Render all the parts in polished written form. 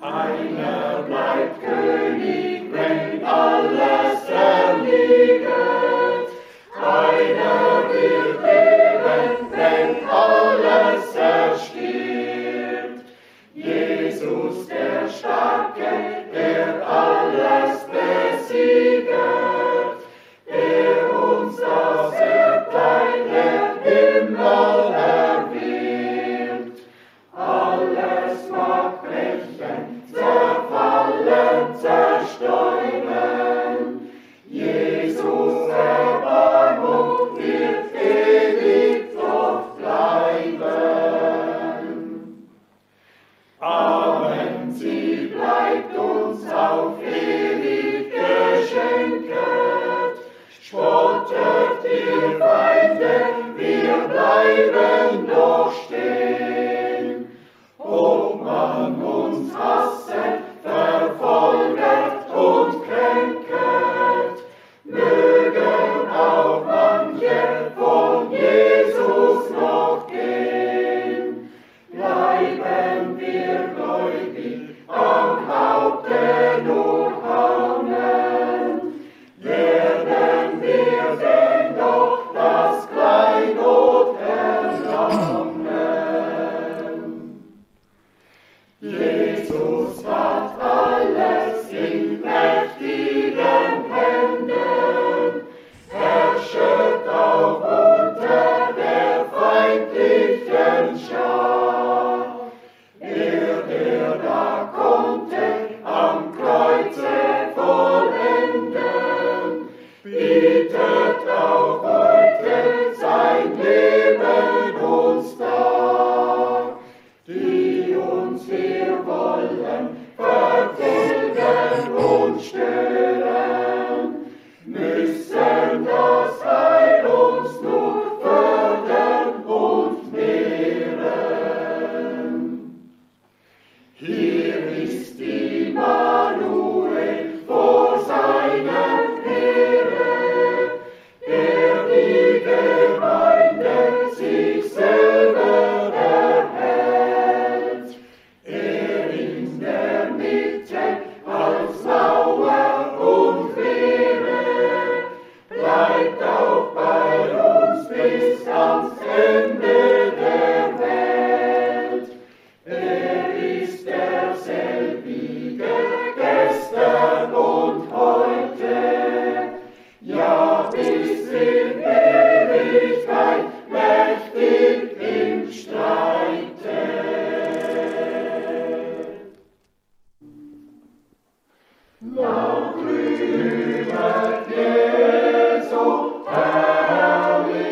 Einer bleibt König, wenn alles erliegt. Einer wird leben, wenn alles erstirbt. Jesus der Starke, der alles besieget, der uns das Erbteil der Himmel erwirbt. Alles mag brechen, zerfallen, zerstäuben. Jesus Erbarmung wird ewig doch bleiben. Amen, sie bleibt uns auf ewig geschenket. Spottet ihr Feinde, wir bleiben doch stehen. Ob man uns hasset, verfolget und kränket, mögen auch manche von Jesus noch gehen. Bleiben wir gläubig, am Haupte nur hangen, werden wir denn doch das Kleinod erlangen. Jesus hat alles in mächtigen Händen, herrschet auch unter der feindlichen Schar. Der da konnte am Kreuze vollenden, bietet auch heute sein Leben uns dar. Die uns wir wollen verfolgen und stören, müssen das Heil uns nur fördern und mehren. Hier ist Immanuel vor seinem Heere, der die Gemeinde sich selber erhält. Er in der Mitte als Mauer und Wehre bleibt auch bei uns bis ans Ende der Welt. Er ist derselbige gestern und heute, ja bis in Ewigkeit mächtig im Streite. Laut rühmet Jesu Herrlichkeit,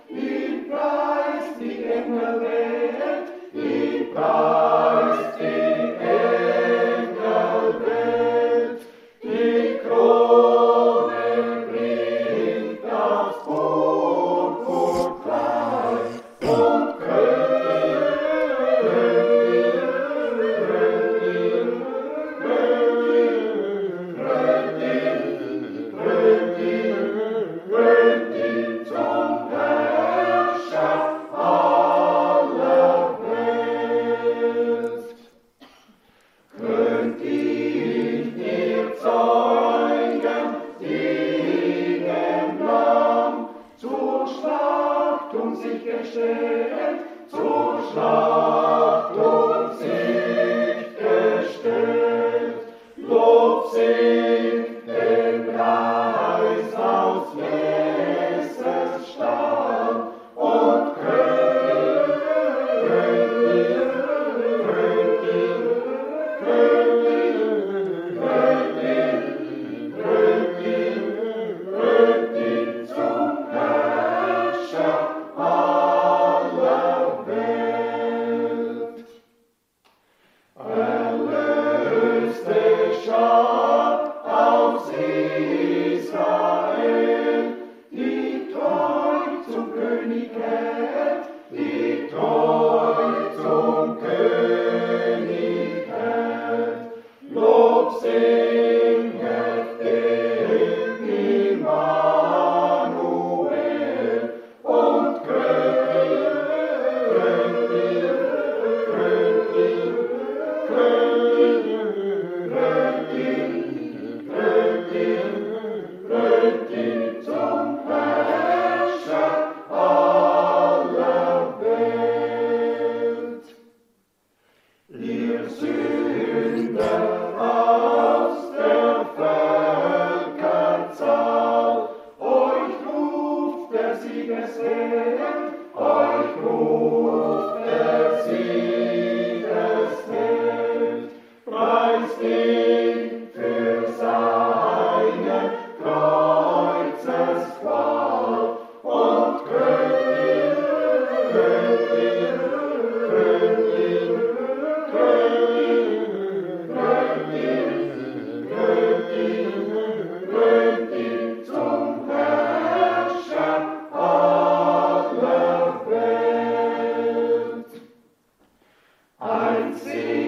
ihn preist die Engelwelt, ihn preist die Engelwelt. Die Krone bringt das Purpurkleid und krönt ihn zum Herrscher aller Welt.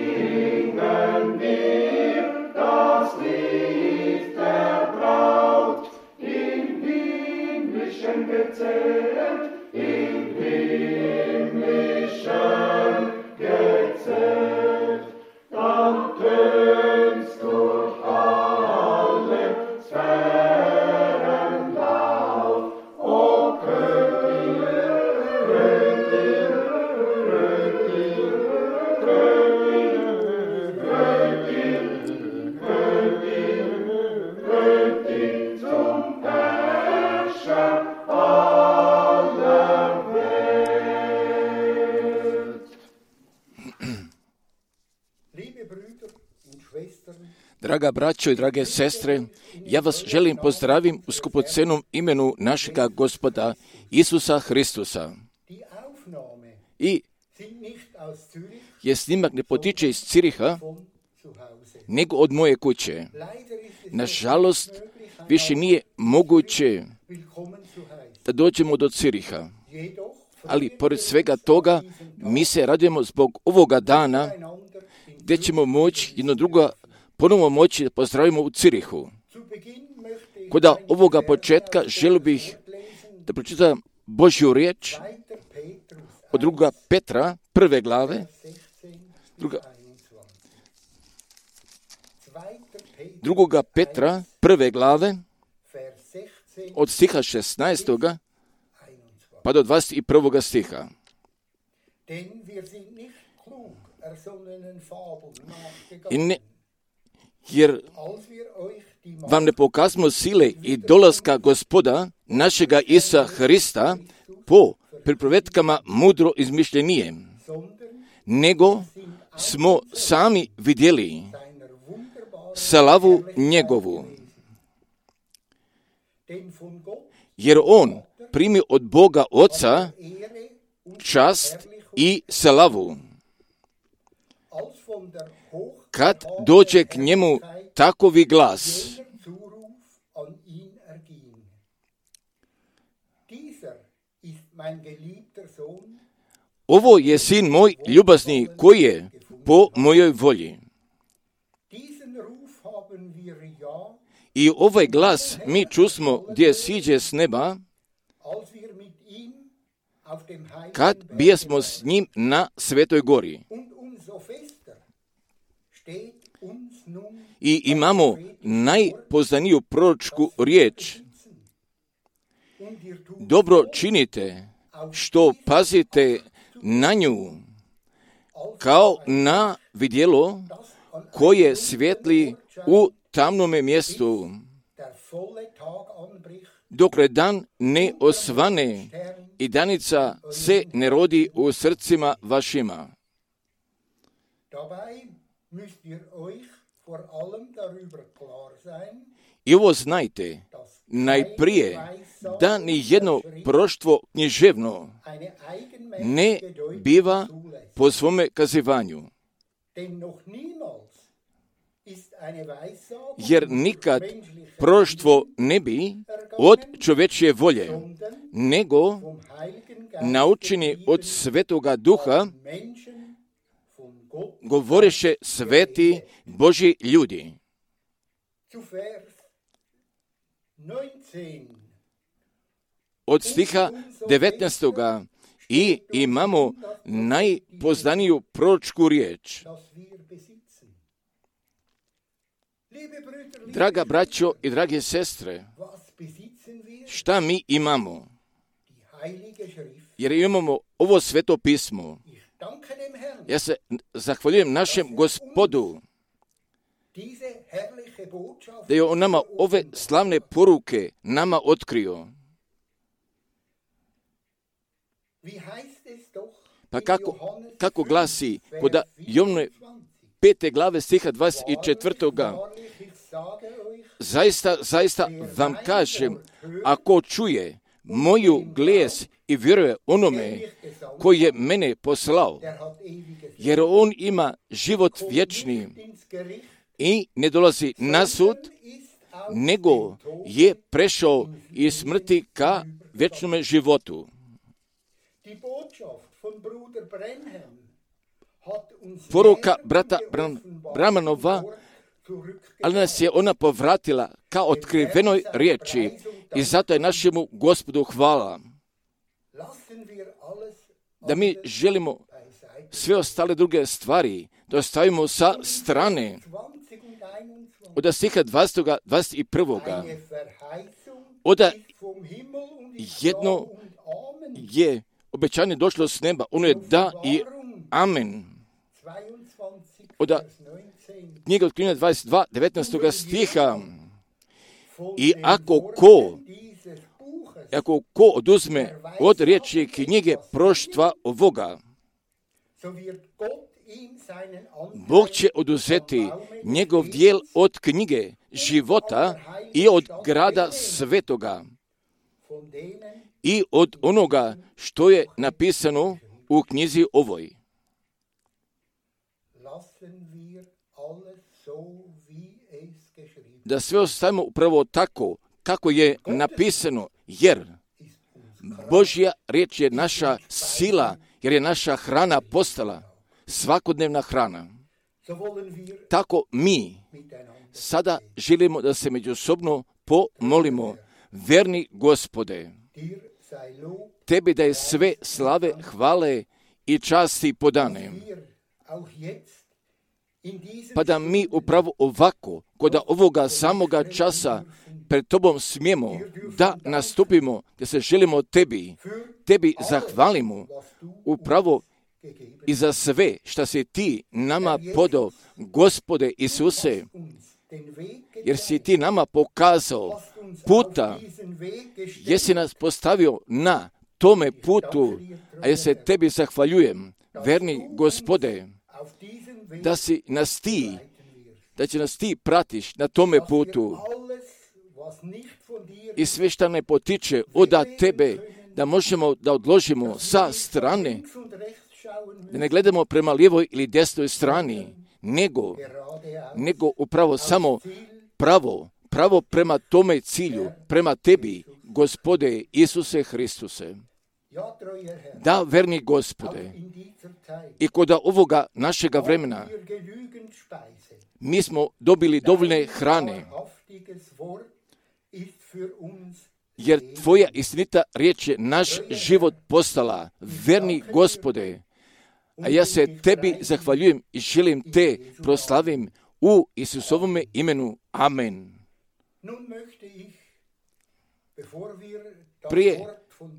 Einsingen wir das Lied der Braut, im himmlischen gezählt, im himmlischen gezählt. Dann tönt's durch alle Sphären laut, o Königin, Königin zum Herrscher aller Welt. Liebe Brüder und Schwestern, Draga braćo i drage sestre, ja vas želim pozdravim u skupocenom imenu našega Gospoda Isusa Hristusa. die Aufnahme I sind nicht aus Zürich je snimak ne potiče iz Ciriha, von zu Hause. nego od moje kuće. Leider ist es Nažalost, nicht möglich, više nije moguće willkommen zu heißen. da dođemo do Ciriha. Jedoch Ali pored svega toga, mi se radujemo zbog ovoga dana einander in gdje ćemo moći jedno drugo ponovno moći da pozdravimo u Cirihu. Zu Beginn möchte ich Kod ovoga početka želio bih lesen da pročitam Božju riječ 2. Petrus od 2. Petra, 1. glave, 16 Druga- bis 21. 2. 2. Petra, 1. glave, Vers 16 od stiha 16. 21. pa do 21. stiha. Denn wir sind nicht klug ersonnenen Fabeln I nachgegangen, ne, jer als wir euch die vam ne pokazmo sile i dolaska Gospoda, našega Isusa Hrista, po pripovetkama mudro izmišljenije, sondern nego smo sami vidjeli seiner wunderbaren slavu njegovu, denn von Gott jer on primi od Boga Oca Ehre und čast i slavu. als von der Kad dođe k njemu takovi glas, jener Zuruf an ihn erging. Dieser ist mein geliebter Sohn, ovo je sin moj ljubazni koji je po mojoj volji. diesen Ruf haben wir ja, I ovaj glas mi čusmo gdje siđe s neba, als wir mit ihm auf dem heiligen kad Berg bijesmo s njim na Svetoj gori. und umso fester steht uns nun I imamo najpoznaniju proročku riječ. und ihr tut Dobro činite što pazite na nju, kao na vidjelo das an koje svijetli u tamnome mjestu, der volle Tag anbricht, dokle dan ne osvane Stern i danica se ne rodi u srcima vašima. Dabei müsst ihr euch vor allem darüber klar sein, I ovo znajte, dass najprije, da ni jedno proštvo književno eine ne eigenmächtige Deutung biva zulässt. po svome kazivanju, Denn noch niemals ist eine Weissagung jer nikad menschlicher proštvo ne bi od čovečje volje, sondern nego vom Heiligen Geist naučeni od Svetoga Duha Menschen von Gott govoreše sveti Božji ljudi. zu Vers 19. Od stiha 19. I imamo najpoznaniju proročku riječ. Das wir besitzen. Liebe Brüder, liebe Draga braćo i drage sestre, was besitzen wir? šta mi imamo? Die Heilige Schrift. Jer imamo ovo sveto pismo. Ich danke dem Herrn, Ja se zahvaljujem našem Gospodu diese herrliche Botschaft da je on nama ove slavne poruke nama otkrio. Wie heißt es doch Pa in kako Johannes glasi 5, kod Vers Jovne 24? 5. glave stiha 24. Wahrlich, ich sage euch, Zaista vam kažem, ako čuje moju glas i vjeruje onome koji je mene poslao, der hat ewiges jer on ima život vječni Leben ins Gericht, i ne dolazi na sud, ist aus nego dem Tod. je prešao iz smrti ka vječnome životu. Die Botschaft von Bruder Brenhem poruka brata Bramanova, ali nas je ona povratila kao otkrivenoj riječi i zato je našemu Gospodu hvala. Da mi želimo sve ostale druge stvari da ostavimo sa strane. Od stiha 20. 21. Oda jedno je obećanje došlo s neba, ono je da i amen. Oda knjiga Otkrivenja 22. 19. stiha. I ako ko oduzme od riječi knjige proštva ovoga, Bog će oduzeti njegov dijel od knjige života i od grada svetoga i od onoga što je napisano u knjizi ovoj. Da sve ostavimo upravo tako kako je napisano, jer Božja riječ je naša sila, jer je naša hrana postala svakodnevna hrana. Tako mi sada želimo da se međusobno pomolimo. Verni Gospode, tebi da je sve slave, hvale i časti podane. Pa da mi upravo ovako, kod ovoga samoga časa pred tobom smijemo da nastupimo, da se želimo tebi zahvalimo upravo i za sve što si ti nama podao, Gospode Isuse, jer si ti nama pokazao puta, jesi nas postavio na tome putu, a ja se tebi zahvaljujem, verni Gospode, da si nas ti, da će nas ti pratiš na tome putu i sve što ne potiče od tebe, da možemo da odložimo sa strane, da ne gledamo prema lijevoj ili desnoj strani, nego upravo samo pravo prema tome cilju, prema tebi, Gospode Isuse Hristuse. Da, verni Gospode, i kod ovoga našega vremena mi smo dobili dovoljne hrane, jer tvoja istinita riječ je naš život postala, verni Gospode, a ja se tebi zahvaljujem i želim te proslavim u Isusovome imenu. Amen. Prije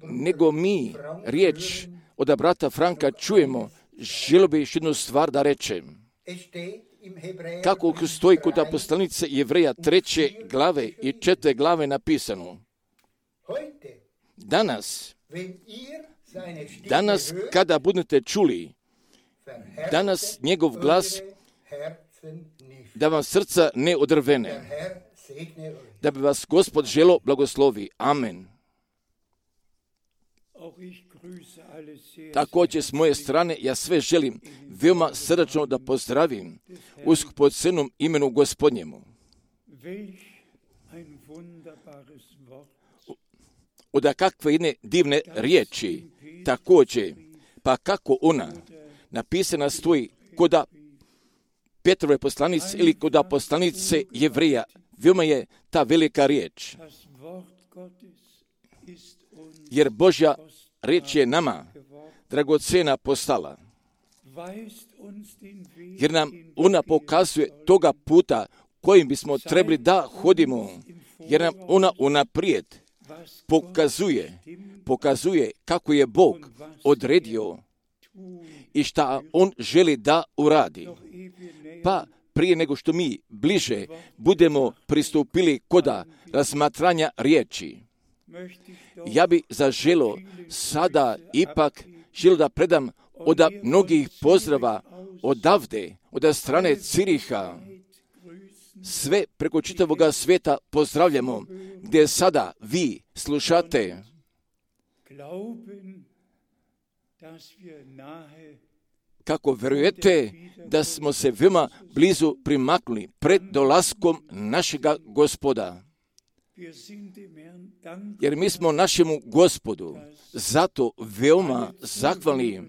nego mi riječ od brata Franka čujemo, želio bi još jednu stvar da rečem. Kako stoji kod poslanice Jevreja 3. glave i 4. glave napisano. Danas kada budete čuli, danas njegov glas, da vam srca ne odrvene, da bi vas Gospod želo blagoslovi. Amen. Također s moje strane ja sve želim veoma srdačno da pozdravim u skupocjenom imenu Gospodnjemu. Od kakve jedne divne riječi, također, pa kako ona napisana stoji kod Petrove poslanice ili kod poslanice Jevreja, veoma je ta velika riječ. Jer Božja riječ je nama dragocena postala. Jer nam ona pokazuje toga puta kojim bismo trebali da hodimo. Jer nam ona unaprijed pokazuje kako je Bog odredio i šta On želi da uradi. Pa prije nego što mi bliže budemo pristupili koda razmatranja riječi, ja bi zaželo sada ipak želio da predam od mnogih pozdrava odavde, od strane Ciriha. Sve preko čitavoga svijeta pozdravljamo, gdje sada vi slušate. Kako vjerujete da smo se veoma blizu primaknuli pred dolaskom našega Gospoda. Jer mi smo našemu Gospodu zato veoma zahvalni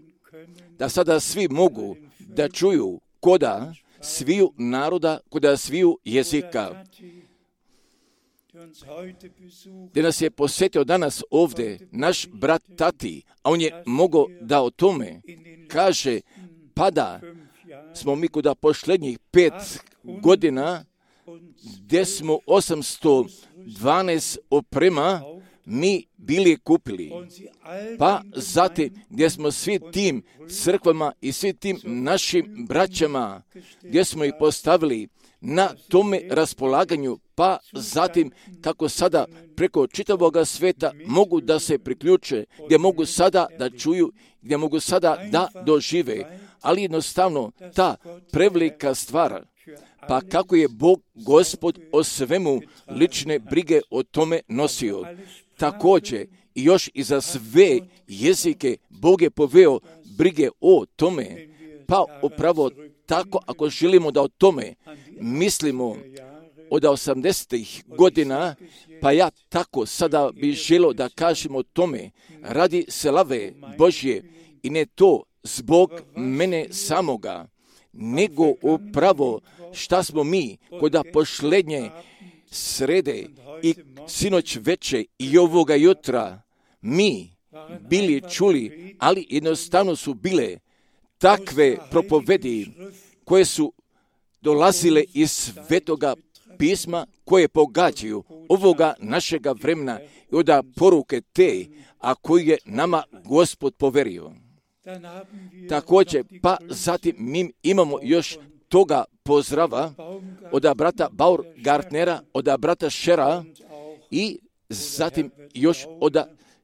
da sada svi mogu da čuju koda sviju naroda, koda sviju jezika. Gdje nas je posjetio danas ovdje naš brat Tati, a on je mogao da o tome kaže, pada smo mi kuda posljednjih 5 godina, gdje smo 812 oprema mi bili kupili. Pa zatim gdje smo svi tim crkvama i svi tim našim braćama, gdje smo ih postavili na tome raspolaganju, pa zatim kako sada preko čitavoga sveta mogu da se priključe, gdje mogu sada da čuju, gdje mogu sada da dožive, ali jednostavno ta prevelika stvar, pa kako je Bog Gospod o svemu lične brige o tome nosio. Također i još i za sve jezike Bog je poveo brige o tome, pa upravo tako ako želimo da o tome mislimo od 80. godina, pa ja tako sada bih želio da kažem o tome radi slave Božje i ne to zbog mene samoga, nego upravo šta smo mi koda posljednje srede i sinoć veče i ovoga jutra mi bili čuli, ali jednostavno su bile takve propovedi koje su dolazile iz Svetoga pisma, koje pogađaju ovoga našega vremena i od poruke te, a koju je nama Gospod poverio. Također, pa zatim mi imamo još toga pozdrava od brata Baumgartnera, od brata Schera i zatim još od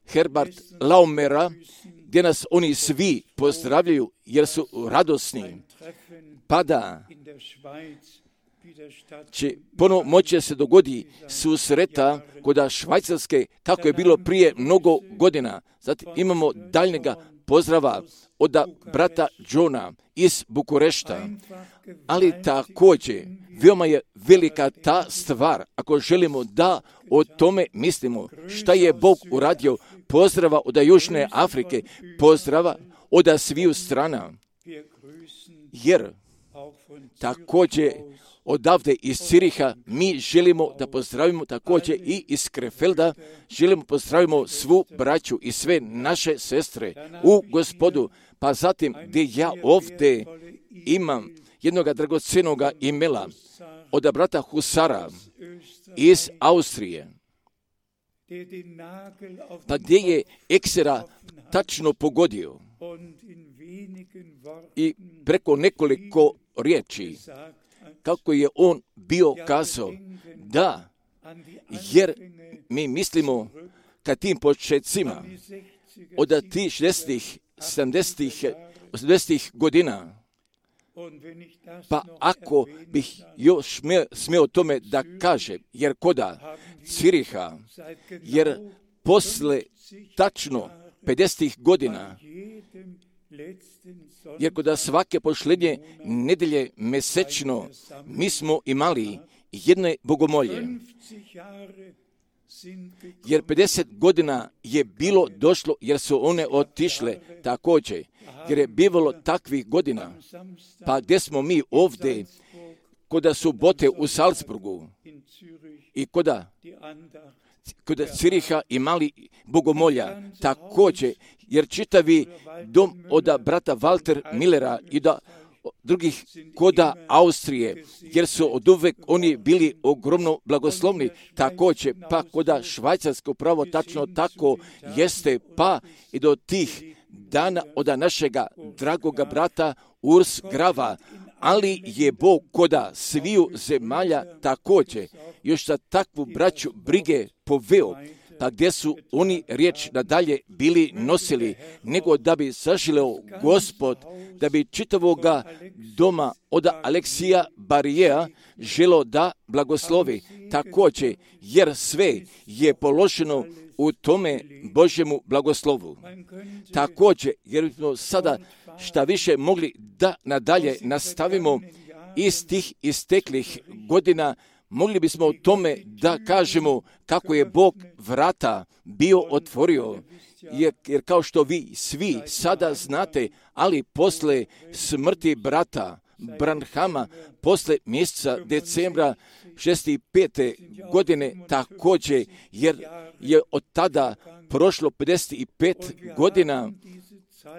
Herbert Laumera, gdje nas oni svi pozdravljaju jer su radosni. Pa da će ponovo moći se dogodi susreta kod Švajcarske kako je bilo prije mnogo godina. Zatim imamo daljnjega pozdrava od brata Johna iz Bukurešta, ali također veoma je velika ta stvar ako želimo da o tome mislimo šta je Bog uradio. Pozdrava od Južne Afrike, pozdrava od sviju strana, jer također odavde iz Ciriha mi želimo da pozdravimo također i iz Krefelda, želimo pozdravimo svu braću i sve naše sestre u Gospodu. Pa zatim gdje ja ovdje imam jednog dragocenog imela od brata Husara iz Austrije, pa gdje je eksera tačno pogodio i preko nekoliko riječi kako je on bio kazao, da, jer mi mislimo ka tim početcima od tih 60-ih, 70-ih, 80-ih godina, pa ako bih još smio tome da kažem, jer koda Ciriha, jer posle tačno 50-ih godina, jer kod svake posljednje nedelje mesečno mi smo imali jedne bogomolje. Jer 50 godina je bilo došlo jer su one otišle također. Jer je bivalo takvih godina. Pa gdje smo mi ovdje kod subote u Salzburgu i kod Ciriha imali bogomolja također, jer čitavi dom od brata Walter Millera i da drugih koda Austrije, jer su od uvek oni bili ogromno blagoslovni, također pa koda Švajcarske upravo tačno tako jeste, pa i do tih dana od našega dragoga brata Urs Grava, ali je Bog koda sviju zemalja također još za takvu braću brige poveo, pa gdje su oni riječ nadalje bili nosili, nego da bi zaželeo Gospod, da bi čitavoga doma od Aleksija Barijeja želo da blagoslovi također, jer sve je položeno u tome Božjemu blagoslovu. Također, jer smo sada šta više mogli da nadalje nastavimo iz tih isteklih godina, mogli bismo o tome da kažemo kako je Bog vrata bio otvorio, jer kao što vi svi sada znate, ali posle smrti brata Branhama, posle mjeseca decembra 65. godine također, jer je od tada prošlo 55 godina,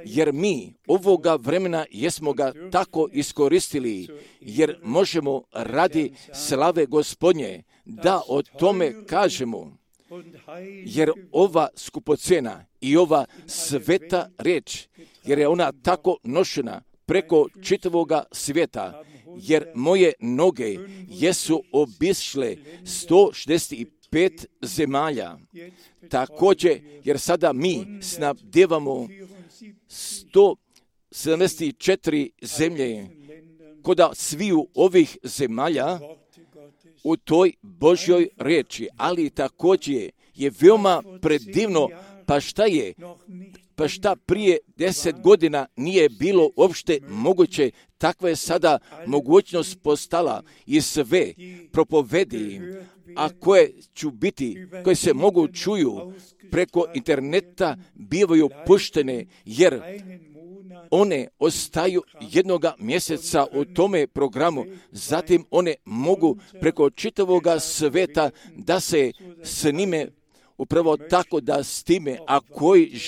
jer mi ovoga vremena jesmo ga tako iskoristili, jer možemo radi slave Gospodnje da o tome kažemo, jer ova skupocena i ova sveta riječ, jer je ona tako nošena preko čitavoga svijeta, jer moje noge jesu obišle 165 zemalja. Također, jer sada mi snabdevamo 174 zemlje koda sviju ovih zemalja u toj Božjoj riječi, ali također je veoma predivno, pa šta prije 10 godina nije bilo uopšte moguće, takva je sada mogućnost postala i sve propovedi, a koje se mogu čuju preko interneta, bivaju puštene, jer one ostaju jednoga mjeseca u tome programu, zatim one mogu preko čitavoga sveta da se s njime upravo tako da s time, a koji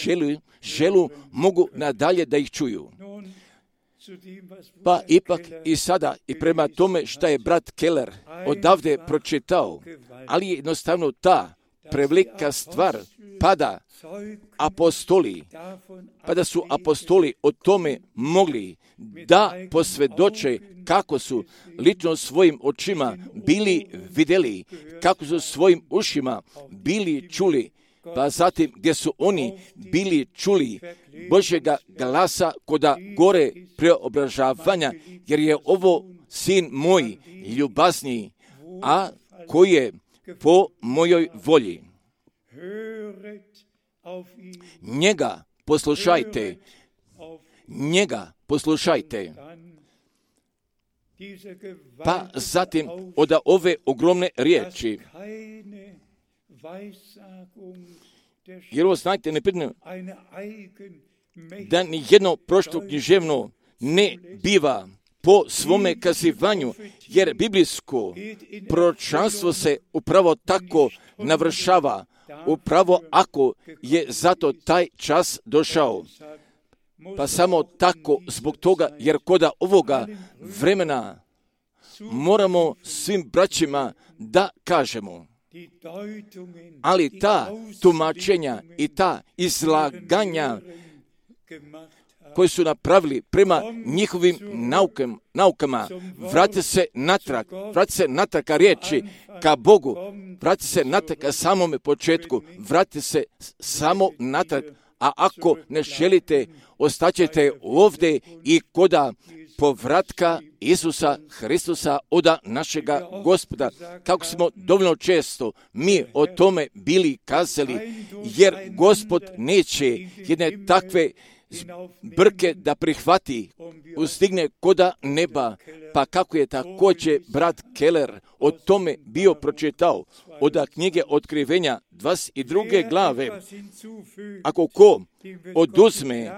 želu mogu nadalje da ih čuju. Pa ipak i sada i prema tome što je brat Keller odavde pročitao, ali je jednostavno ta prevelika stvar pa da su apostoli o tome mogli da posvjedoče kako su lično svojim očima bili vidjeli, kako su svojim ušima bili čuli, pa zatim gdje su oni bili čuli Božjega glasa koda gore preobražavanja, jer je ovo sin moj ljubazniji, a koji je po mojoj volji. Njega poslušajte. Pa zatim od ove ogromne riječi, jer ovo znajte nepredno, da ni jedno prošlo književno ne biva po svome kazivanju, jer biblijsko proročanstvo se upravo tako navršava, upravo ako je zato taj čas došao. Pa samo tako zbog toga, jer koda ovoga vremena moramo svim braćima da kažemo, ali ta tumačenja i ta izlaganja koji su napravili prema njihovim naukama, vrati se natrag ka riječi, ka Bogu, vrati se natrag ka samome početku, vrati se samo natrag, a ako ne želite, ostaćete ovdje i koda povratka Isusa Hristusa oda našega Gospoda, kako smo dovoljno često mi o tome bili kazali, jer Gospod neće jedne takve brke da prihvati, ustigne koda neba, pa kako je također brat Keller o tome bio pročitao od knjige Otkrivenja 22. glave. Ako ko oduzme,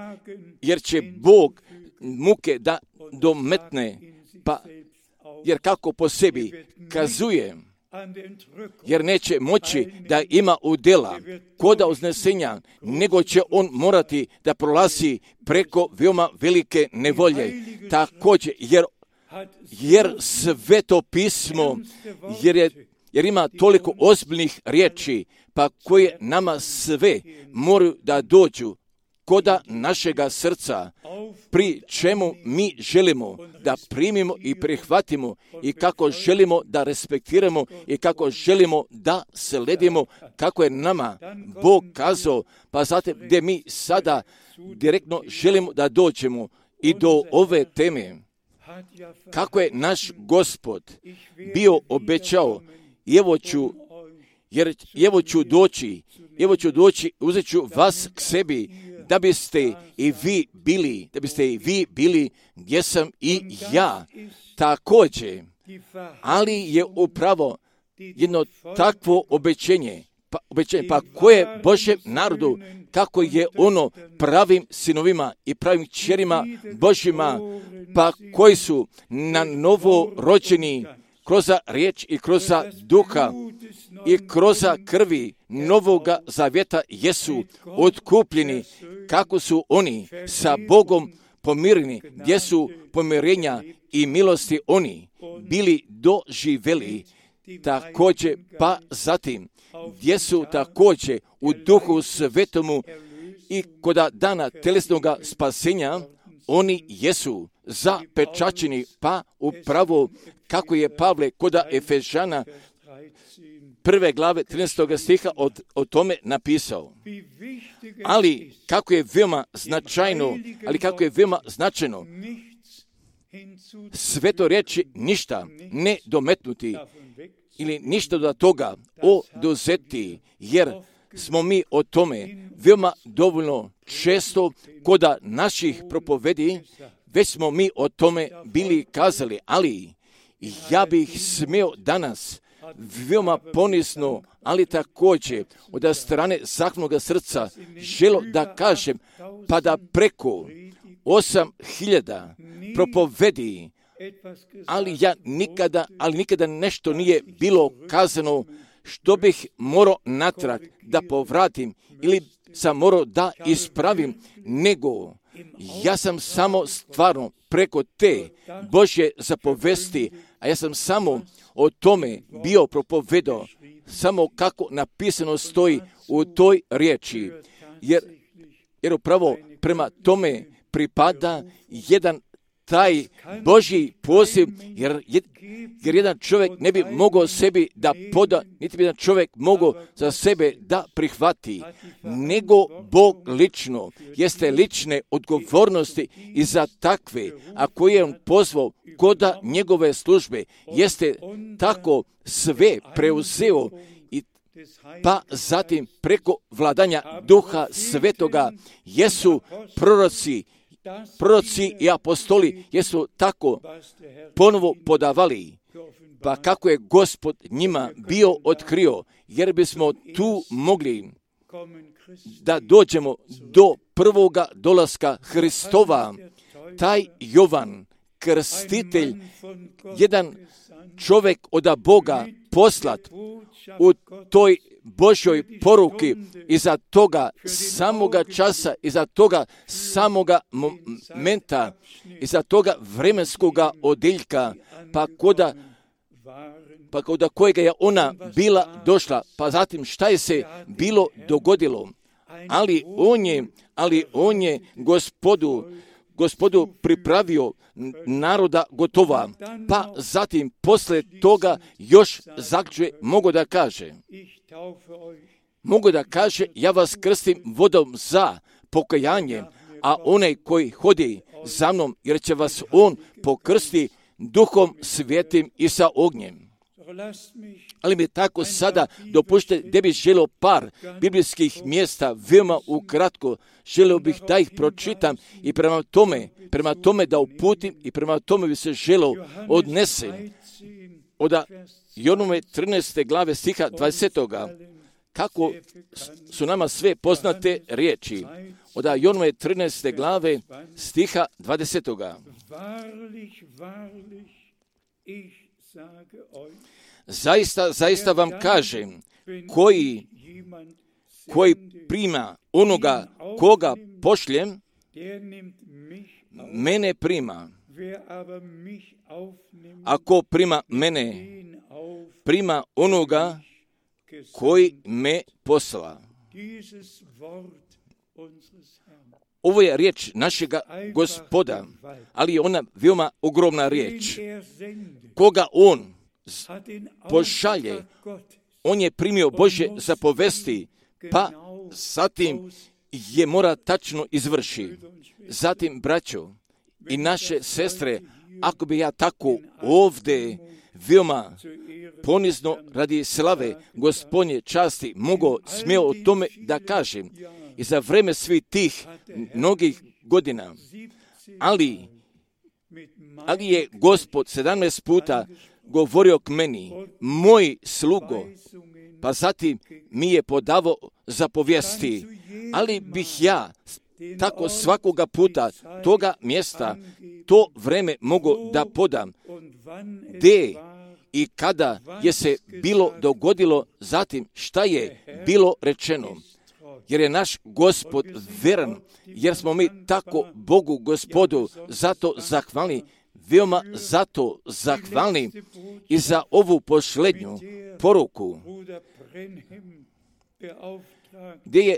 jer će Bog muke da dometne, pa jer kako po sebi kazuje, jer neće moći da ima udjela koda uznesenja, nego će on morati da prolazi preko veoma velike nevolje. Također, jer Sveto pismo, jer ima toliko ozbiljnih riječi, pa koje nama sve moraju da dođu koda našega srca, pri čemu mi želimo da primimo i prihvatimo i kako želimo da respektiramo i kako želimo da sledimo kako je nama Bog kazao, pa zatim gdje mi sada direktno želimo da dođemo i do ove teme. Kako je naš Gospod bio obećao, evo ću doći, uzet ću vas k sebi, da biste i vi bili gdje sam i ja. Također, ali je upravo jedno takvo obećenje, pa koje Božjem narodu, kako je ono pravim sinovima i pravim kćerima Božjima, pa koji su na novo rođeni kroz riječ i kroz duha i kroz krvi Novoga Zavjeta jesu otkupljeni, kako su oni sa Bogom pomireni, gdje su pomirenja i milosti oni bili doživjeli također, pa zatim gdje su također u Duhu Svetomu i kod dana telesnog spasenja oni jesu zapečaćeni, pa upravo kako je Pavle kod Efežana 1. glave 13. stiha o tome napisao. Ali kako je veoma značajno, sveto riječi ništa ne dometnuti ili ništa do toga oduzeti, jer smo mi o tome veoma dovoljno često kod naših propovedi, već smo mi o tome bili kazali, ali ja bih smio danas veoma ponisno, ali također od strane zahvalnog srca želo da kažem, pa da preko 8.000 propovedi, ali nikada nešto nije bilo kazano što bih morao natrag da povratim ili sam morao da ispravim, nego ja sam samo stvarno preko te Božje zapovesti, a ja sam samo o tome bio propovedao, samo kako napisano stoji u toj riječi, jer upravo prema tome pripada jedan taj Božji poziv, jer jedan čovjek ne bi mogao sebi da poda, niti bi jedan čovjek mogao za sebe da prihvati, nego Bog lično, jeste lične odgovornosti i za takve, a koje je on pozvao kod njegove službe, jeste tako sve preuzeo i pa zatim preko vladanja Duha Svetoga jesu proroci i apostoli jesu tako ponovo podavali, pa kako je Gospod njima bio otkrio, jer bismo tu mogli da dođemo do prvoga dolaska Hristova. Taj Jovan, krstitelj, jedan čovjek od Boga poslat u toj Božjoj poruki, iza toga samoga časa, iza toga samoga momenta, iza toga vremenskoga odjeljka, pa kod kojega je ona bila došla, pa zatim šta je se bilo dogodilo, ali on je Gospodu pripravio naroda gotova, pa zatim posle toga još zaključuje, mogu da kaže, ja vas krstim vodom za pokajanje, a onaj koji hodi za mnom, jer će vas on pokrsti Duhom Svetim i sa ognjem. Ali mi tako sada dopušte da bih želio par biblijskih mjesta veoma ukratko, želio bih da ih pročitam i prema tome da uputim i prema tome bi se želio odnese od Jonove 13. glave stiha 20. Kako su nama sve poznate riječi. Od Jonove 13. glave stiha 20. Zaista vam kažem, koji prima onoga koga pošljem, mene prima. Ako prima mene, prima onoga koji me posla. Ovo je riječ našega Gospoda, ali je ona veoma ogromna riječ. Koga on pošalje, on je primio Božje zapovesti, pa zatim je mora tačno izvrši. Zatim, braćo i naše sestre, ako bi ja tako ovdje veoma ponizno radi slave Gospodnje časti smio o tome da kažem i za vreme svih tih mnogih godina, ali je Gospod 17 puta govorio k meni, moj slugo, pa zatim mi je podavao zapovijesti, ali bih ja tako svakoga puta toga mjesta, to vreme mogu da podam, gdje i kada je se bilo dogodilo, zatim šta je bilo rečeno. Jer je naš Gospod veran, jer smo mi tako Bogu Gospodu zato zahvalni, veoma zato zahvalni i za ovu posljednju poruku, gdje je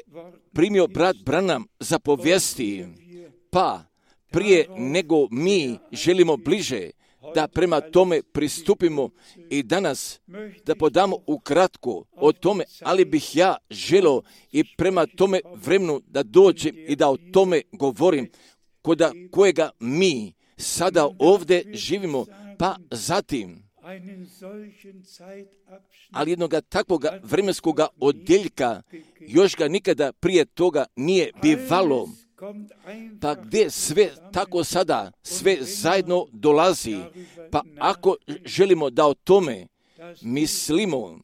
primio brat Branham zapovijesti, pa prije nego mi želimo bliže da prema tome pristupimo i danas da podamo ukratko o tome, ali bih ja želio i prema tome vremenu da dođem i da o tome govorim, koda kojega mi sada ovdje živimo, pa zatim, ali jednoga takvoga vremenskoga odjeljka još ga nikada prije toga nije bivalo. Pa gdje sve tako sada, sve zajedno dolazi, pa ako želimo da o tome mislimo,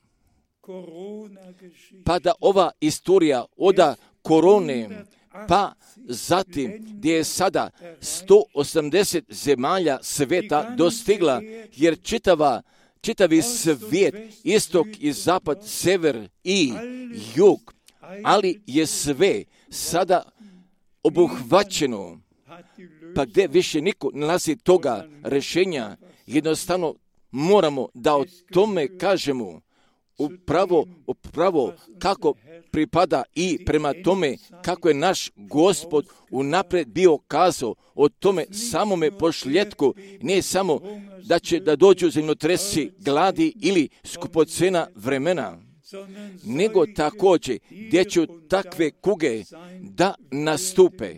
pa da ova istorija oda korone, pa zatim gdje je sada 180 zemalja sveta dostigla, jer čitavi svijet, istok i zapad, sever i jug, ali je sve sada obuhvaćeno, pa gdje više niko nalazi toga rješenja, jednostavno moramo da o tome kažemo upravo kako pripada i prema tome kako je naš Gospod unaprijed bio kazao o tome samome posljedku, ne samo da će da dođu zemljotresi, gladi ili skupocena vremena, nego također gdje će takve kuge da nastupe.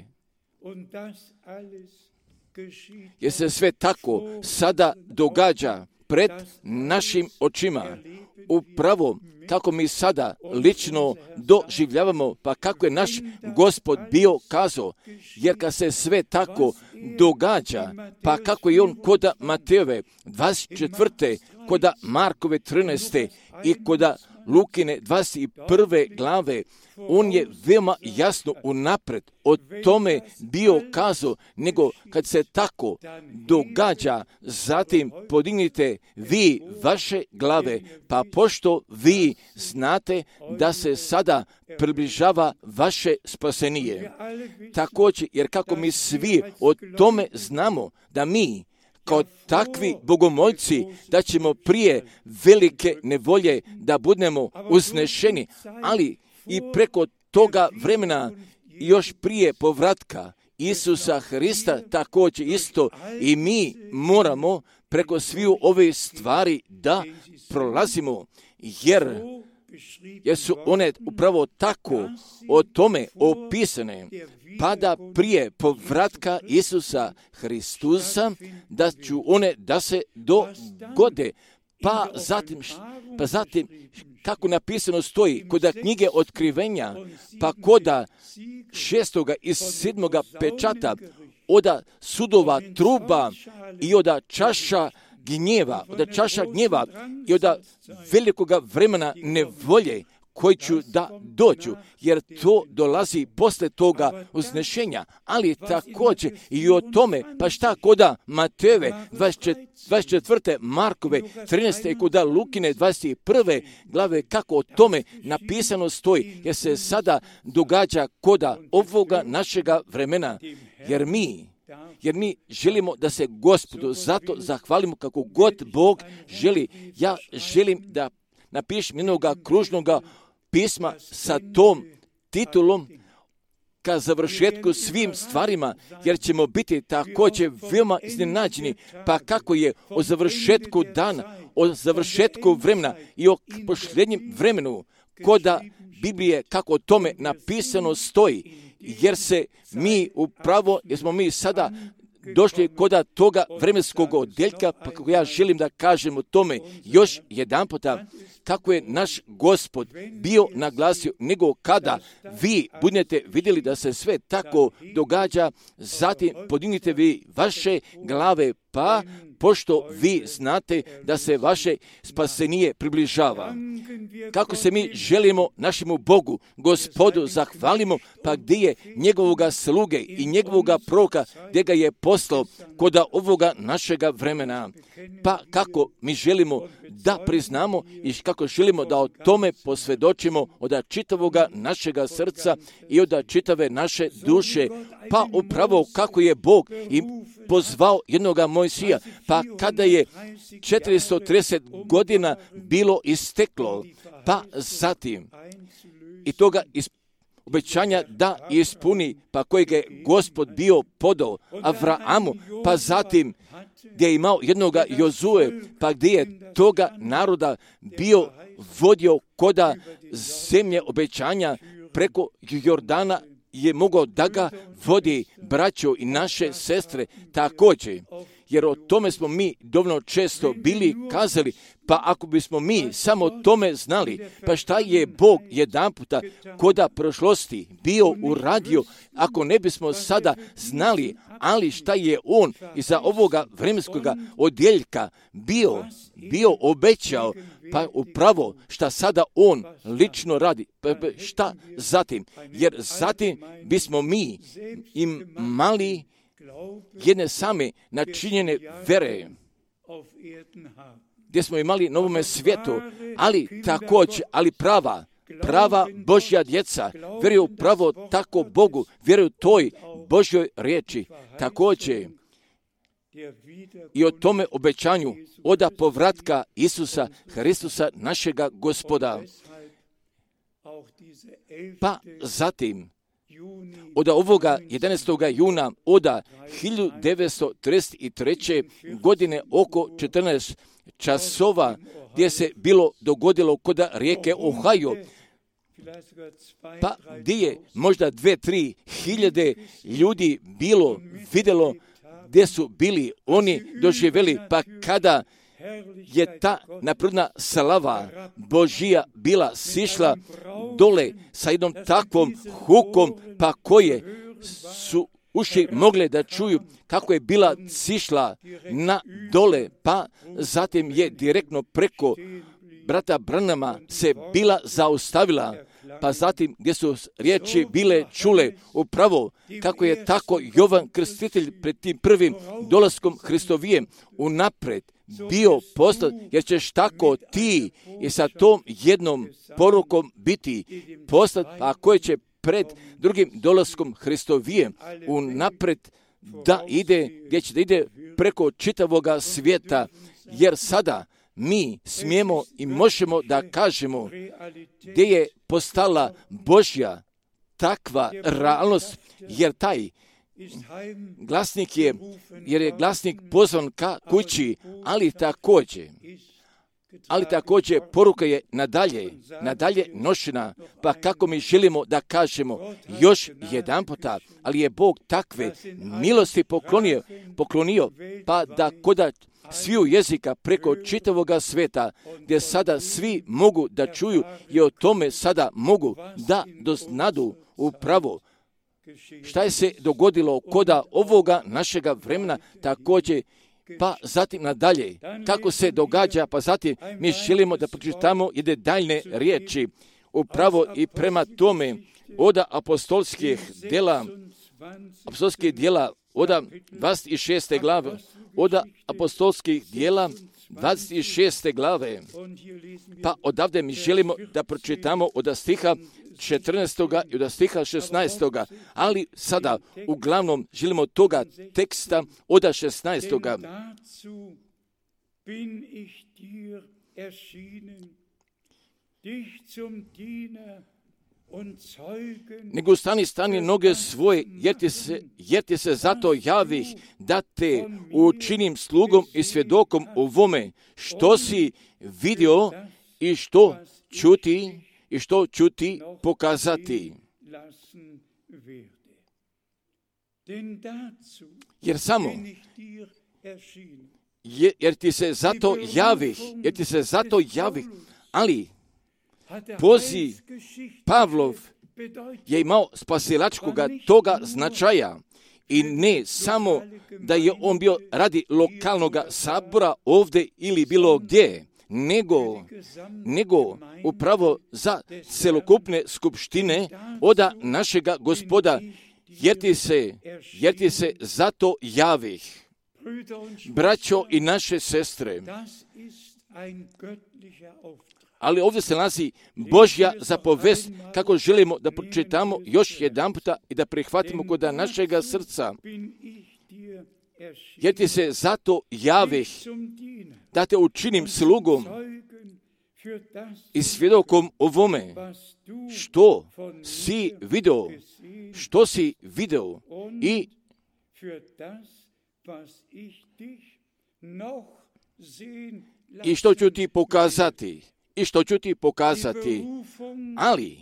Jer se sve tako sada događa pred našim očima. Upravo kako mi sada lično doživljavamo, pa kako je naš Gospod bio kazao, jer kad se sve tako događa, pa kako je on koda Matejove 24. koda Markove 13. i koda Lukine 21. glave, on je veoma jasno unaprijed o tome bio kazao, nego kad se tako događa, zatim podignite vi vaše glave, pa pošto vi znate da se sada približava vaše spasenije. Također, jer kako mi svi o tome znamo da mi kao takvi bogomoljci, da ćemo prije velike nevolje da budemo uznešeni, ali i preko toga vremena još prije povratka Isusa Hrista također isto i mi moramo preko sviju ove stvari da prolazimo, jer su one upravo tako o tome opisane, pa da prije povratka Isusa Hristusa da ću one da se dogode, pa zatim kako napisano stoji koda knjige otkrivenja, pa koda 6. i 7. pečata, oda sudova truba i oda čaša gnjeva i oda velikoga vremena nevolje koji ću da dođu, jer to dolazi posle toga uznešenja, ali također i o tome, pa šta koda Matejove 24. Markove 13. i koda Lukine 21. glave, kako o tome napisano stoji, jer se sada događa koda ovoga našega vremena, jer mi želimo da se Gospodu zato zahvalimo kako god Bog želi. Ja želim da napišem jednoga kružnoga pisma sa tom titulom ka završetku svim stvarima, jer ćemo biti također veoma iznenađeni, pa kako je o završetku dana, o završetku vremena i o posljednjem vremenu, koda Biblije kako o tome napisano stoji, jer smo mi sada došli koda toga vremenskog odjeljka, pa kako ja želim da kažem o tome još jedan puta, kako je naš Gospod bio naglasio, nego kada vi budete vidjeli da se sve tako događa, zatim podignite vi vaše glave, pa pošto vi znate da se vaše spasenije približava. Kako se mi želimo našemu Bogu, Gospodu, zahvalimo, pa gdje je njegovoga sluge i njegovoga proroka, gdje ga je poslao kod ovoga našega vremena. Pa kako mi želimo da priznamo i kako želimo da o tome posvjedočimo od čitavoga našega srca i od čitave naše duše. Pa upravo kako je Bog i pozvao jednoga Mojsija, pa kada je 430 godina bilo isteklo, pa zatim i toga obećanja da ispuni, pa kojeg je Gospod bio podao Avraamu, pa zatim gdje je imao jednoga Jozue, pa gdje je toga naroda bio vodio koda zemlje obećanja preko Jordana, je mogao da ga vodi braćo i naše sestre također. Jer o tome smo mi dovoljno često bili kazali, pa ako bismo mi samo o tome znali, pa šta je Bog jedanputa koda prošlosti bio uradio, ako ne bismo sada znali, ali šta je On iza ovoga vremenskoga odjeljka bio obećao, pa upravo šta sada On lično radi, pa šta zatim, jer zatim bismo mi imali jedne same načinjene vere, gdje smo imali na ovome svijetu, ali također, ali prava Božja djeca vjeruju pravo tako Bogu, vjeruju toj Božjoj riječi, također i o tome obećanju oda povratka Isusa Hristusa našega Gospoda. Pa zatim od ovoga 11. juna od 1933. godine oko 14 časova gdje se bilo dogodilo kod rijeke Ohio, pa gdje je možda 2-3 hiljade ljudi bilo vidjelo gdje su bili oni doživjeli, pa kada je ta napredna slava Božija bila sišla dole sa jednom takvom hukom, pa koje su uši mogle da čuju kako je bila sišla na dole, pa zatim je direktno preko brata Branhama se bila zaustavila, pa zatim gdje su riječi bile čule upravo kako je tako Jovan Krstitelj pred tim prvim dolaskom Hristovijem unaprijed bio poslat, jer ćeš tako ti i sa tom jednom porukom biti poslat, a koje će pred drugim dolaskom Hristovijem unaprijed da ide, gdje će da ide preko čitavoga svijeta, jer sada mi smijemo i možemo da kažemo gdje je postala Božja takva realnost, jer taj glasnik je glasnik pozvan ka kući, ali također poruka je nadalje nošena, pa kako mi želimo da kažemo još jedanputa, ali je Bog takve milosti poklonio, pa da koda sviju jezika preko čitavoga sveta, gdje sada svi mogu da čuju i o tome sada mogu da doznadu upravo šta je se dogodilo koda ovoga našega vremena, također, pa zatim nadalje, kako se događa, pa zatim mi želimo da pročitamo jedne daljne riječi, upravo i prema tome od apostolskih djela, od 26. glave, od apostolskih djela 26. glave, pa odavde mi želimo da pročitamo od stiha 14. i od stiha 16. Ali sada uglavnom želimo toga teksta od 16. Nego stani noge svoje, jer ti se zato javih da te učinim slugom i svjedokom ovome što si vidio i što ću ti pokazati. Jer ti se zato javih, ali poziv Pavlov je imao spasilačkoga toga značaja I ne samo da je on bio radi lokalnog sabora ovdje ili bilo gdje, nego upravo za celokupne skupštine oda našega Gospoda, jer ti se zato javih. Braćo i naše sestre, ali ovdje se nalazi Božja zapovest kako želimo da pročitamo još jedan puta i da prihvatimo kod našega srca. Jer ti se zato javih da te učinim slugom i svjedokom ovome što si video i što ću ti pokazati. Ali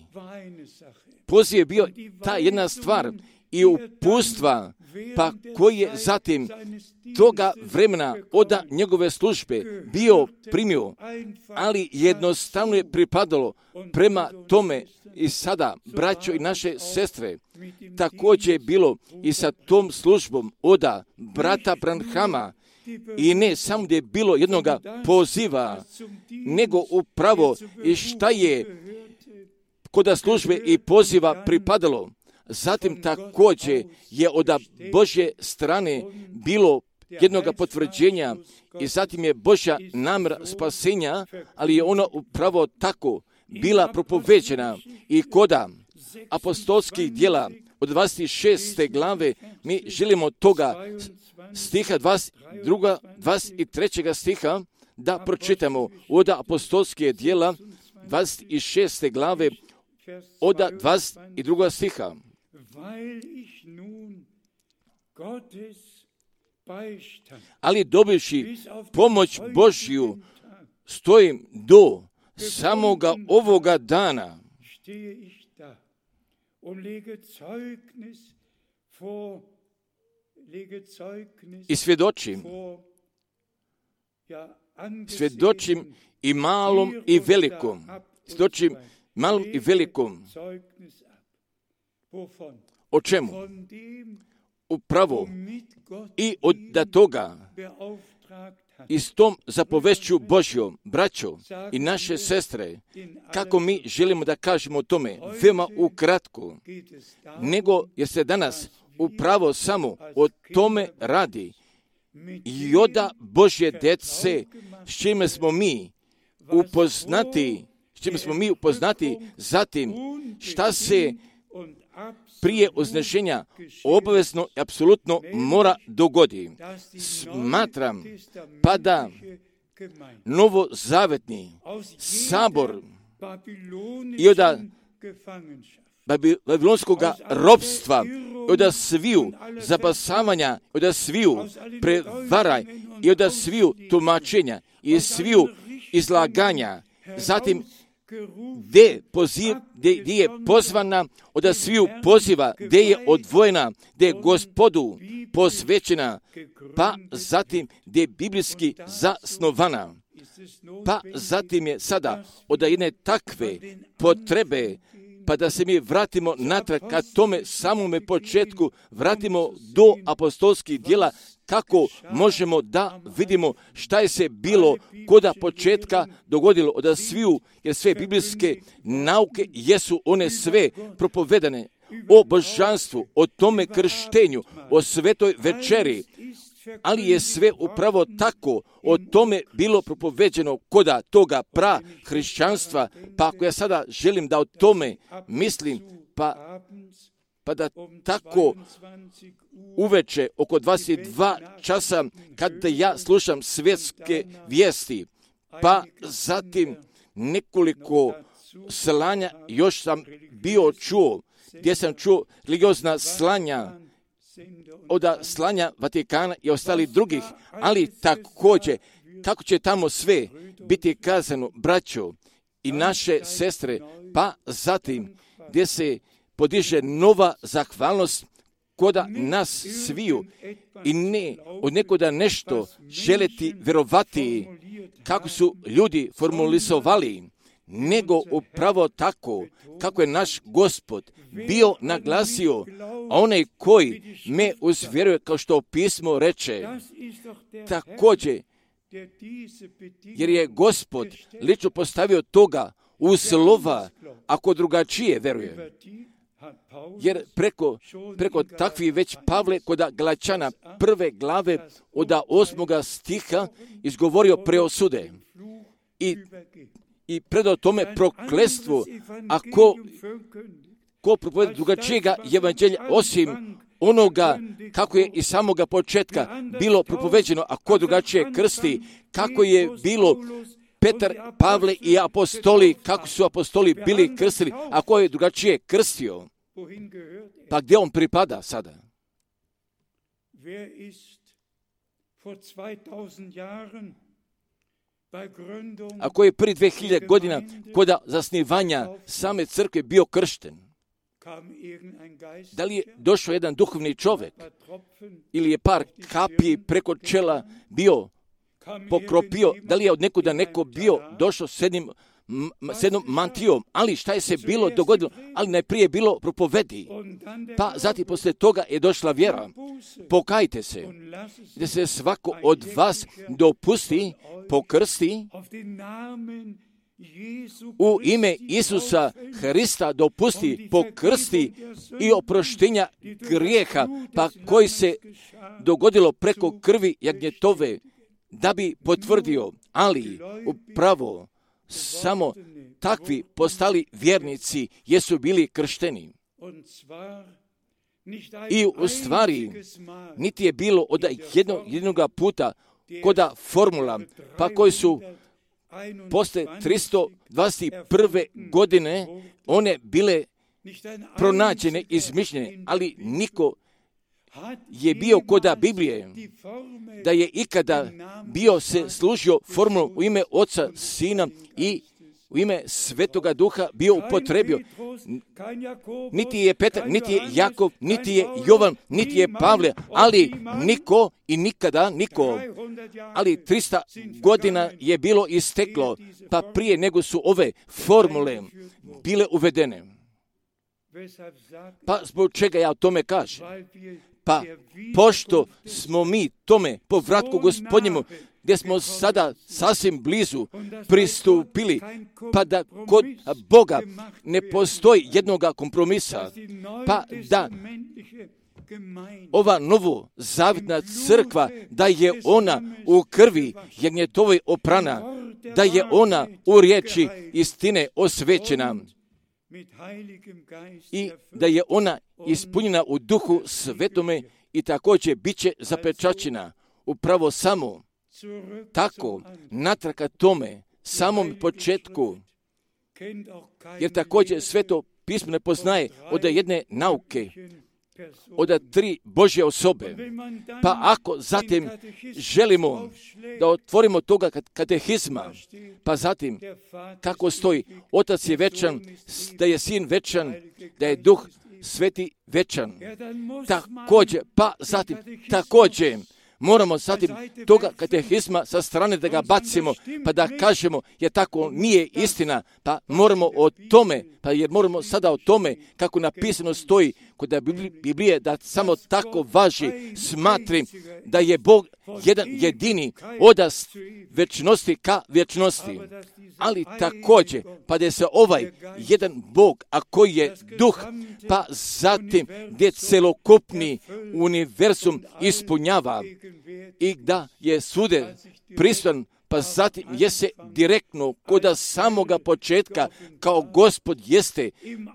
poziv je bio ta jedna stvar i upustva, pa koji je zatim toga vremena od njegove službe bio primio, ali jednostavno je pripadalo prema tome i sada, braćo i naše sestre, također je bilo i sa tom službom od brata Branhama, i ne samo gdje je bilo jednoga poziva, nego upravo i šta je kod službe i poziva pripadalo. Zatim također je od Božje strane bilo jednoga potvrđenja i zatim je Božja namjera spasenja, ali je ona upravo tako bila propoveđena i kod apostolskih djela od 26. glave mi želimo toga stiha 22. 23. stiha da pročitamo od apostolske djela 26. glave od 22. stiha. Ali dobivši pomoć Božju stojim do samoga ovoga dana i svjedočim i malom i velikom. Svjedočim malom i velikom. O čemu? Upravo i od toga i s tom zapovešću Božjom, braćo i naše sestre, kako mi želimo da kažemo o tome, veoma ukratko, nego jer se danas upravo samo o tome radi i od Božje djece, s čime smo mi upoznati, zatim šta se prije uznešenja obavezno i apsolutno mora dogodi. Smatram pa da novozavetni sabor i od babilonskog ropstva, od sviju zapasavanja, od sviju prevara i od sviju tumačenja i sviju izlaganja, zatim gdje je pozvana od sviju poziva, gdje je odvojena, gdje je Gospodu posvećena, pa zatim gdje je biblijski zasnovana. Pa zatim je sada od jedne takve potrebe, pa da se mi vratimo natrag ka tome samome početku, vratimo do apostolskih djela, kako možemo da vidimo šta je se bilo koda početka dogodilo od sviju, jer sve biblijske nauke jesu one sve propovedane o božanstvu, o tome krštenju, o svetoj večeri, ali je sve upravo tako o tome bilo propoveđeno koda toga hrišćanstva, pa ako ja sada želim da o tome mislim, pa da tako uveče oko 22 časa kada ja slušam svjetske vijesti, pa zatim nekoliko slanja još sam bio čuo, gdje sam čuo religiozna slanja od slanja Vatikana i ostalih drugih, ali također kako će tamo sve biti kazano, braćo i naše sestre, pa zatim gdje se podiže nova zahvalnost koda nas sviju i ne od nekoda nešto želeti vjerovati kako su ljudi formulizovali, nego upravo tako kako je naš Gospod bio naglasio, a onaj koji me uzvjeruje, kao što pismo reče, također, jer je Gospod lično postavio toga u slova, ako drugačije veruje. Jer preko takvih već Pavle kod Galačana 1. glave od 8. stiha izgovorio preosude i predao tome prokletstvo, a ko propoveda drugačijega evanđelja osim onoga kako je iz samoga početka bilo propoveđeno, a ko drugačije krsti, kako je bilo Petar, Pavle i apostoli, kako su apostoli bili krstili, a ko je drugačije krstio, pa gdje on pripada sada? Ako je prije 2000 godina kod zasnivanja same crkve bio kršten, da li je došao jedan duhovni čovjek ili je par kapi preko čela bio pokropio, da li je od nekuda neko bio došao s jednom mantijom, ali šta je se bilo dogodilo, ali najprije bilo propovedi, pa zatim poslije toga je došla vjera. Pokajte se, da se svako od vas dopusti, pokrsti, u ime Isusa Hrista dopusti, pokrsti i oproštenja grijeha, pa koji se dogodilo preko krvi jagnjetove, da bi potvrdio, ali upravo samo takvi postali vjernici jesu bili kršteni. I u stvari niti je bilo od jednoga puta koda formula, pa koji su posle 321. godine one bile pronađene, izmišljene, ali niko je bio koda Biblije, da je ikada bio se služio formulom u ime Oca, Sina i u ime Svetoga Duha bio upotrebio. Niti je Petar, niti je Jakov, niti je Jovan, niti je Pavle, ali niko i nikada niko. Ali 300 godina je bilo isteklo, pa prije nego su ove formule bile uvedene. Pa zbog čega ja o tome kažem? Pa pošto smo mi tome povratku Gospodnjemu, gdje smo sada sasvim blizu pristupili, pa da kod Boga ne postoji jednoga kompromisa, pa da ova novo zavitna crkva, da je ona u krvi jagnjetovoj oprana, da je ona u riječi istine osvećena i da je ona ispunjena u Duhu Svetome i također bit će zapečaćena upravo samo tako natrag ka tome samom početku, jer također Sveto pismo ne poznaje od jedne nauke, od 3 Božje osobe. Pa ako zatim želimo da otvorimo toga katehizma, pa zatim kako stoji, Otac je večan, da je Sin večan, da je Duh Sveti večan. Također, pa zatim također moramo zatim toga katehizma sa strane da ga bacimo, pa da kažemo, jer tako nije istina, pa moramo o tome, pa jer moramo sada o tome, kako napisano stoji kod Biblije, da samo tako važi, smatrim da je Bog jedan jedini od večnosti ka večnosti. Ali također, pa da se ovaj jedan Bog, a koji je Duh, pa zatim gdje celokupni univerzum ispunjava i da je svude prisutan, pa zatim je se direktno koda samoga početka kao Gospod jeste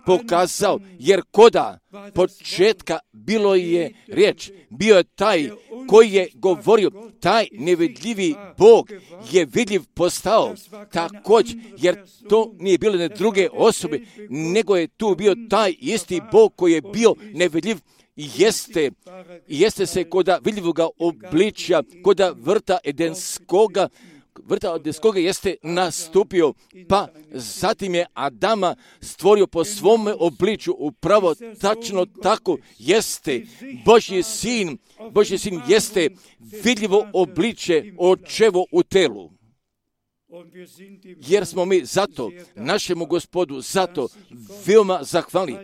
pokazao, jer koda početka bilo je riječ, bio je taj koji je govorio, taj nevidljivi Bog je vidljiv postao također, jer to nije bilo ne druge osobe, nego je tu bio taj isti Bog koji je bio nevidljiv. Jeste se koda vidljivoga obličja, koda vrta Edenskoga jeste nastupio, pa zatim je Adama stvorio po svome obličju, upravo tačno tako jeste. Božji sin jeste vidljivo obličje očevo u telu. jer smo mi zato našemu Gospodu zato veoma zahvalni.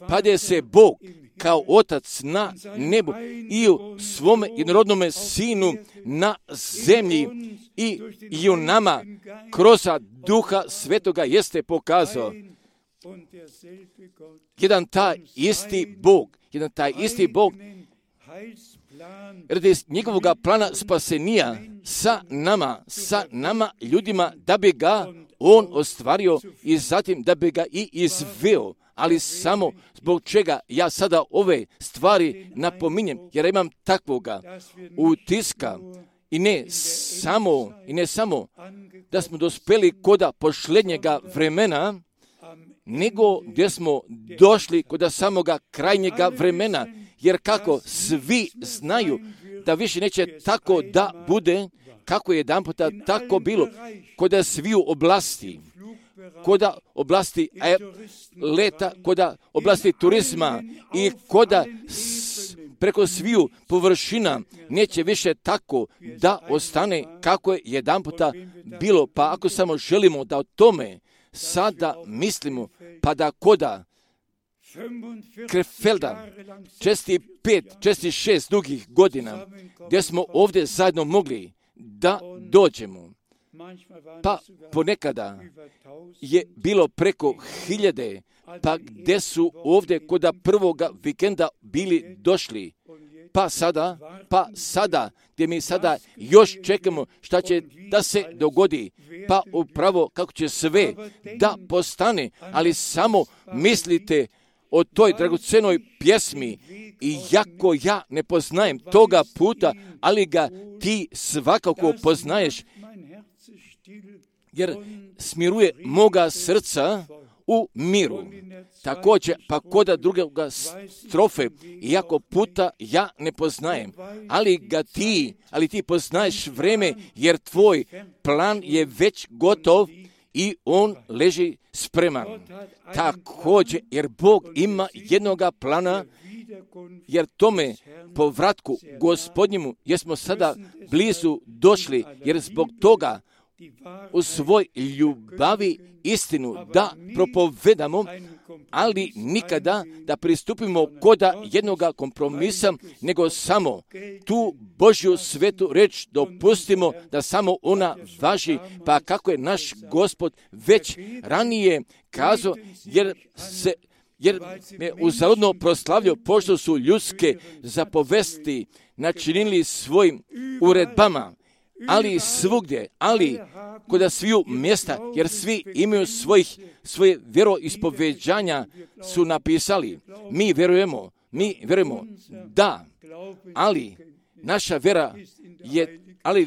Pa da se Bog kao Otac na nebu i u svome jednorodnome Sinu na zemlji i u nama kroz Duha Svetoga jeste pokazao jedan taj isti Bog radi njegovog plana spasenija sa nama ljudima, da bi ga on ostvario i zatim da bi ga i izveo. Ali samo zbog čega ja sada ove stvari napominjem, jer imam takvoga utiska i ne samo da smo dospeli koda posljednjega vremena, nego gdje smo došli koda samoga krajnjega vremena, jer kako svi znaju da više neće tako da bude, kako je jedanputa tako bilo, koda sviju oblasti, koda oblasti leta, koda oblasti turizma i koda preko sviju površina neće više tako da ostane kako je jedanputa bilo. Pa ako samo želimo da o tome sada mislimo, pa da koda Krefelda, česti 6 dugih godina, gdje smo ovdje zajedno mogli da dođemo. Pa ponekada je bilo preko 1000, pa gdje su ovdje koda prvoga vikenda bili došli. Pa sada, gdje mi sada još čekamo šta će da se dogodi, pa upravo kako će sve da postane, ali samo mislite o toj dragocenoj pjesmi, i jako ja ne poznajem toga puta, ali ga ti svakako poznaješ, jer smiruje moga srca u miru. Također, pa koda drugoga strofe, iako puta ja ne poznajem, ali ti poznaješ vreme, jer tvoj plan je već gotov i on leži spreman. Također, jer Bog ima jednoga plana, jer tome povratku Gospodnjemu jesmo sada blizu došli, jer zbog toga u svoj ljubavi istinu da propovedamo, ali nikada da pristupimo koda jednoga kompromisa, nego samo tu Božju svetu reč dopustimo da samo ona važi, pa kako je naš Gospod već ranije kazao, jer me uzaludno proslavljao, pošto su ljudske zapovesti načinili svojim uredbama, ali svugdje, ali koda sviju mjesta, jer svi imaju svoje vjeroispoveđanja su napisali. Mi vjerujemo, da, ali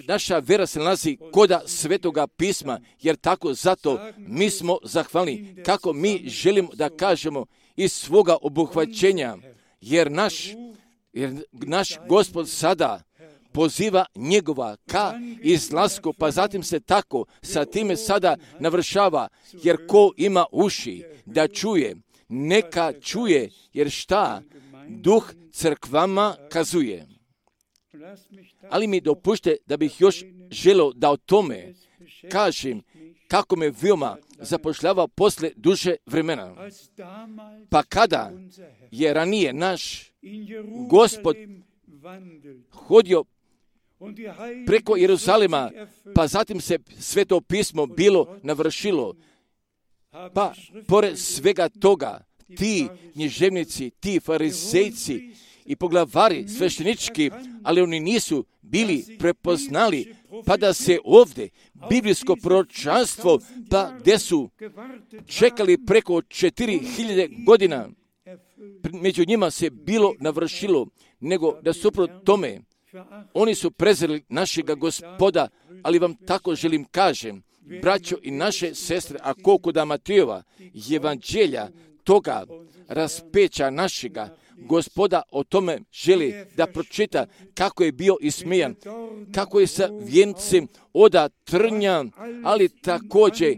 naša vjera se nalazi koda Svetoga pisma, jer tako zato mi smo zahvalni, kako mi želimo da kažemo iz svoga obuhvaćenja, jer naš Gospod sada poziva njegova ka izlasku, pa zatim se tako sa time sada navršava, jer ko ima uši da čuje, neka čuje, jer šta Duh crkvama kazuje. Ali mi dopušte da bih još želio da o tome kažem kako me veoma zapošljava posle duže vremena. Pa kada je ranije naš Gospod hodio preko Jeruzalema, pa zatim se Sveto pismo bilo navršilo, pa pored svega toga ti književnici, ti farizejci i poglavari sveštenički, ali oni nisu bili prepoznali, pa da se ovdje biblijsko proročanstvo, pa gdje su čekali preko 4000 godina, među njima se bilo navršilo, nego da suprot tome oni su prezreli našega Gospoda, ali vam tako želim kažem, braćo i naše sestre, a koliko da Matejova evanđelja toga raspeća našega Gospoda o tome želi da pročita kako je bio ismejan, kako je sa vijencem oda trnja, ali također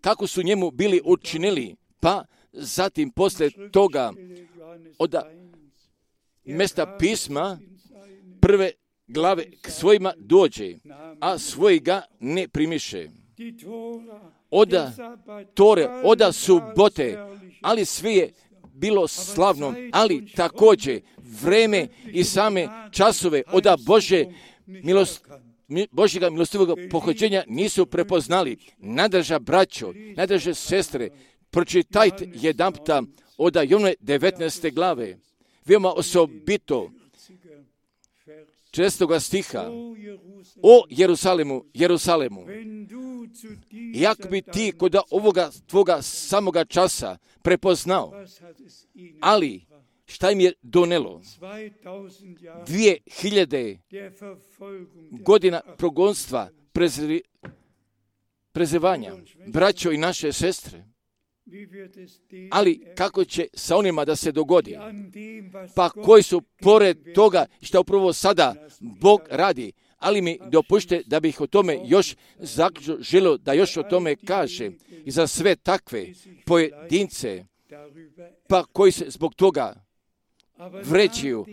kako su njemu bili učinili, pa zatim posle toga od mjesta pisma, glave k svojima dođe, a svoji ga ne primiše. Oda Tore, oda subote, ali sve je bilo slavno, ali također vreme i same časove oda Božjega milostivog pohođenja nisu prepoznali. Nadrža braćo, nadrže sestre, pročitajte jedanputa oda Jovnove 19. glave, veoma osobito 6. stiha. O Jerusalemu, Jerusalemu, jak bi ti kod ovoga tvoga samoga časa prepoznao, ali šta im je donelo? 2000 godina progonstva, prezivanja, braćo i naše sestre. Ali kako će sa onima da se dogodi? Pa koji su pored toga što upravo sada Bog radi, ali mi dopušte da bih o tome još zaključno želio da još o tome kaže i za sve takve pojedince, pa koji se zbog toga vređuju,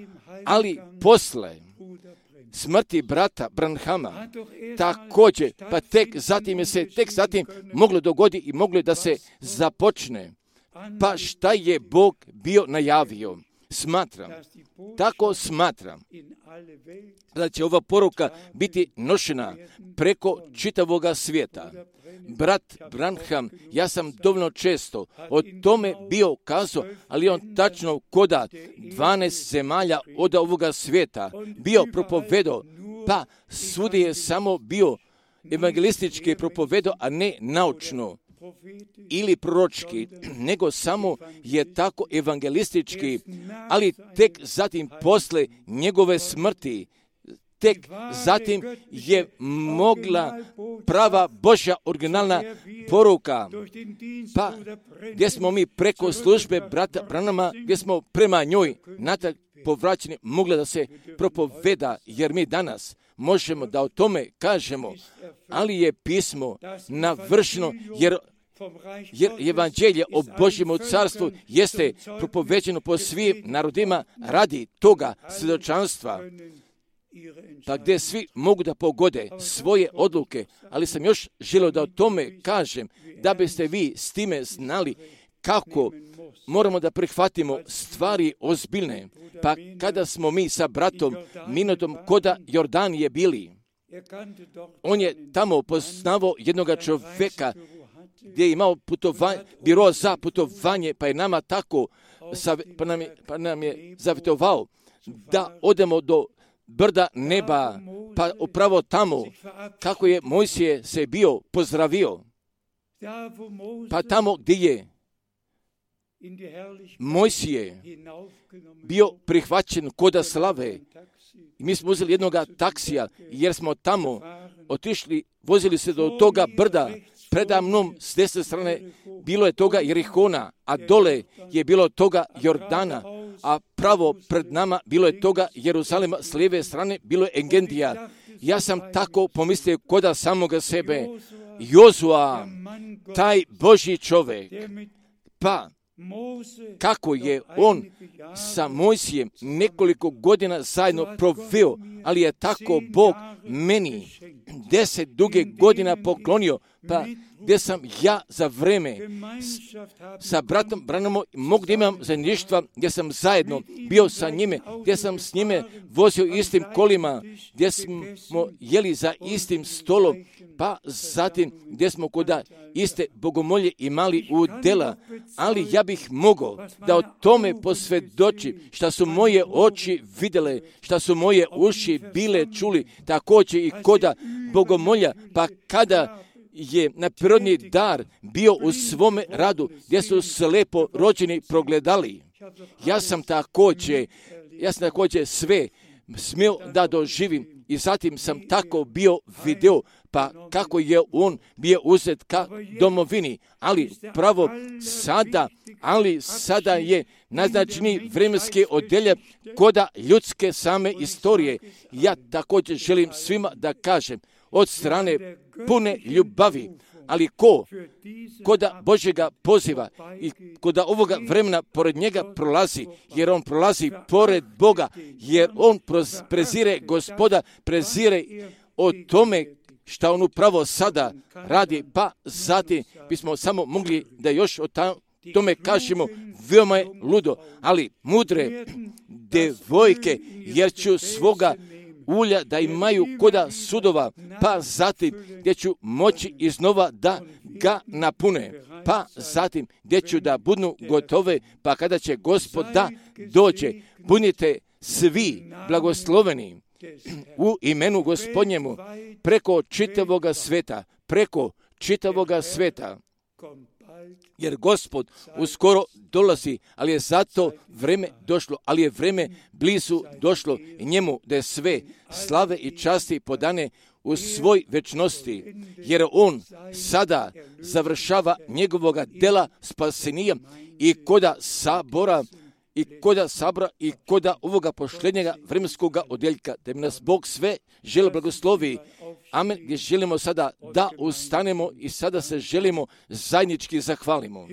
ali posle smrti brata Branhama također, pa tek zatim moglo dogoditi i moglo da se započne. Pa šta je Bog bio najavio? Tako smatram da će ova poruka biti nošena preko čitavoga svijeta. Brat Branham, ja sam dovoljno često o tome bio kazao, ali on tačno koda 12 zemalja od ovoga svijeta bio propovedao, pa svudi je samo bio evangelistički propovedao, a ne naučno ili proročki, nego samo je tako evangelistički, ali tek zatim posle njegove smrti, tek zatim je mogla prava Božja originalna poruka, pa gdje smo mi preko službe brata Branhama, gdje smo prema njoj natak povraćeni, mogla da se propoveda, jer mi danas možemo da o tome kažemo, ali je pismo navršeno, jer evanđelje o Božjem carstvu jeste propoveđeno po svim narodima radi toga svjedočanstva, pa gdje svi mogu da pogode svoje odluke, ali sam još želio da o tome kažem, da biste vi s time znali kako moramo da prihvatimo stvari ozbiljne. Pa kada smo mi sa bratom Minutom koda Jordanije bili, on je tamo poznavao jednog čovjeka gdje je imao biro za putovanje, pa je nama tako pa nam je zavjetovao da odemo do brda neba, pa upravo tamo kako je Mojsije se bio pozdravio, pa tamo gdje je Mojsije bio prihvaćen koda slave. I mi smo uzeli jednog taksija, jer smo tamo otišli, vozili se do toga brda. Preda mnom s desne strane bilo je toga Jerihona, a dole je bilo toga Jordana, a pravo pred nama bilo je toga Jeruzalema, s lijeve strane bilo je Engedija. Ja sam tako pomislio koda samoga sebe, Jozua, taj Božji čovjek, pa kako je on sa Mojsijem nekoliko godina zajedno proveo, ali je tako Bog meni 10 duge godina poklonio, pa gdje sam ja za vreme sa bratom Branhamom mogu da imam zajedništva, gdje sam zajedno bio sa njime, gdje sam s njime vozio istim kolima, gdje smo jeli za istim stolom, pa zatim gdje smo koda iste bogomolje imali u dela, ali ja bih mogao da o tome posvjedočim, šta su moje oči vidjele, šta su moje uši bile čuli, također i koda bogomolja, pa kada je na prirodni dar bio u svome radu, gdje su slepo rođeni progledali. Ja sam također sve smio da doživim i zatim sam tako bio video, pa kako je on bio uzet ka domovini, ali pravo sada je naznačeni vremenski odjeljak koda ljudske same istorije. Ja također želim svima da kažem, od strane pune ljubavi, ali koda Božjega poziva i koda ovoga vremena pored njega prolazi, jer on prolazi pored Boga, jer on prezire Gospoda, prezire o tome šta on upravo sada radi, pa zatim bismo samo mogli da još o tome kažemo, veoma je ludo, ali mudre devojke, jer ću svoga ulja da imaju koda sudova, pa zatim gdje ću moći iznova da ga napune, pa zatim gdje ću da budu gotove, pa kada će Gospod da dođe, budite svi blagosloveni u imenu Gospodnjemu preko čitavoga sveta, jer Gospod uskoro dolazi, ali je zato vreme došlo, ali je vreme blizu došlo i njemu da je sve slave i časti podane u svoj večnosti, jer on sada završava njegovoga dela spasenija i koda sabora i koda ovoga posljednjega vremenskoga odjeljka, da bi nas Bog sve želi blagoslovi. Amen. Gdje želimo sada da ustanemo i sada se želimo zajednički zahvalimo.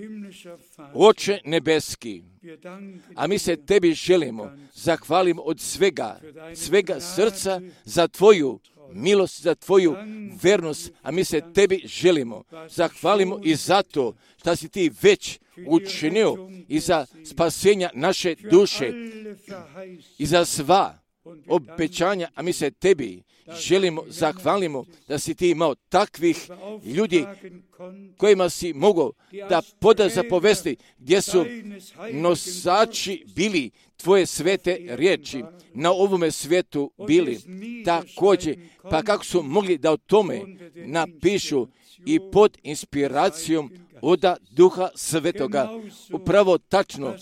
Oče nebeski, a mi se tebi želimo zahvalimo od svega srca za tvoju milost, za tvoju vernost, a mi se tebi želimo zahvalimo i zato što si ti već učinio i za spasenja naše duše i za sva obećanja, a mi se tebi želimo zahvalimo da si ti imao takvih ljudi kojima si mogao da poda zapovesti, gdje su nosači bili tvoje svete riječi na ovome svijetu bili također, pa kako su mogli da o tome napišu i pod inspiracijom oda Duha Svetoga. Upravo tačno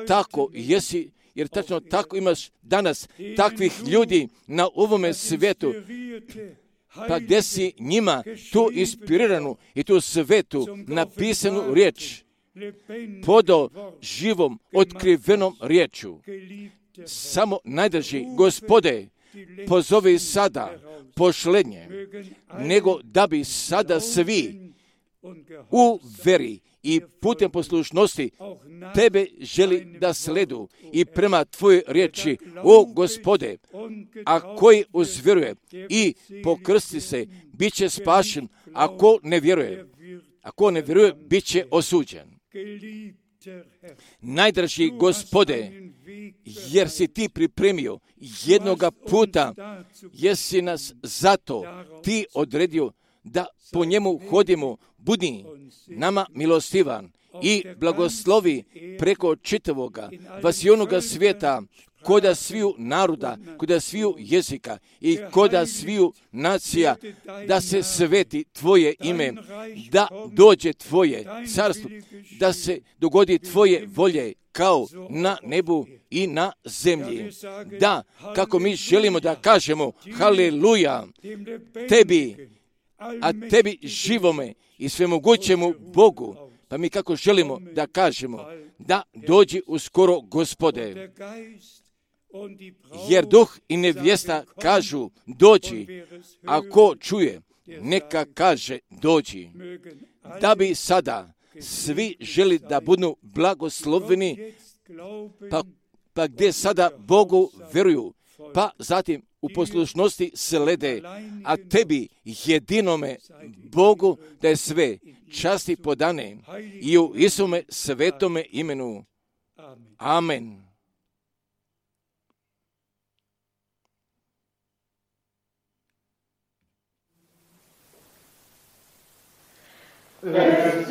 tako jesi, jer tačno tako imaš danas takvih ljudi na ovome svijetu, pa gdje si njima tu inspiriranu i tu svetu napisanu riječ podao živom, otkrivenom riječu. Samo najdrži Gospode, pozovi sada pošlednje, nego da bi sada svi u veri i putem poslušnosti tebe želi da sledu i prema tvojoj riječi, o Gospode, a koji uzvjeruje i pokrsti se, bit će spašen, ako ne vjeruje, bit će osuđen. Najdraži Gospode, jer si ti pripremio jednoga puta, jesi nas zato ti odredio da po njemu hodimo, budi nama milostivan i blagoslovi preko čitavoga vasionoga svijeta, koda sviju naroda, koda sviju jezika i koda sviju nacija, da se sveti tvoje ime, da dođe tvoje carstvo, da se dogodi tvoje volje kao na nebu i na zemlji. Da, kako mi želimo da kažemo haleluja tebi, a tebi živome i svemogućemu Bogu, pa mi kako želimo da kažemo da dođi uskoro Gospode, jer duh i nevjesta kažu dođi, a ko čuje neka kaže dođi, da bi sada svi želi da budu blagosloveni, pa gdje sada Bogu vjeruju, pa zatim u poslušnosti slede, a tebi jedinome Bogu da je sve časti podane i u Isume svetome imenu. Amen. Let's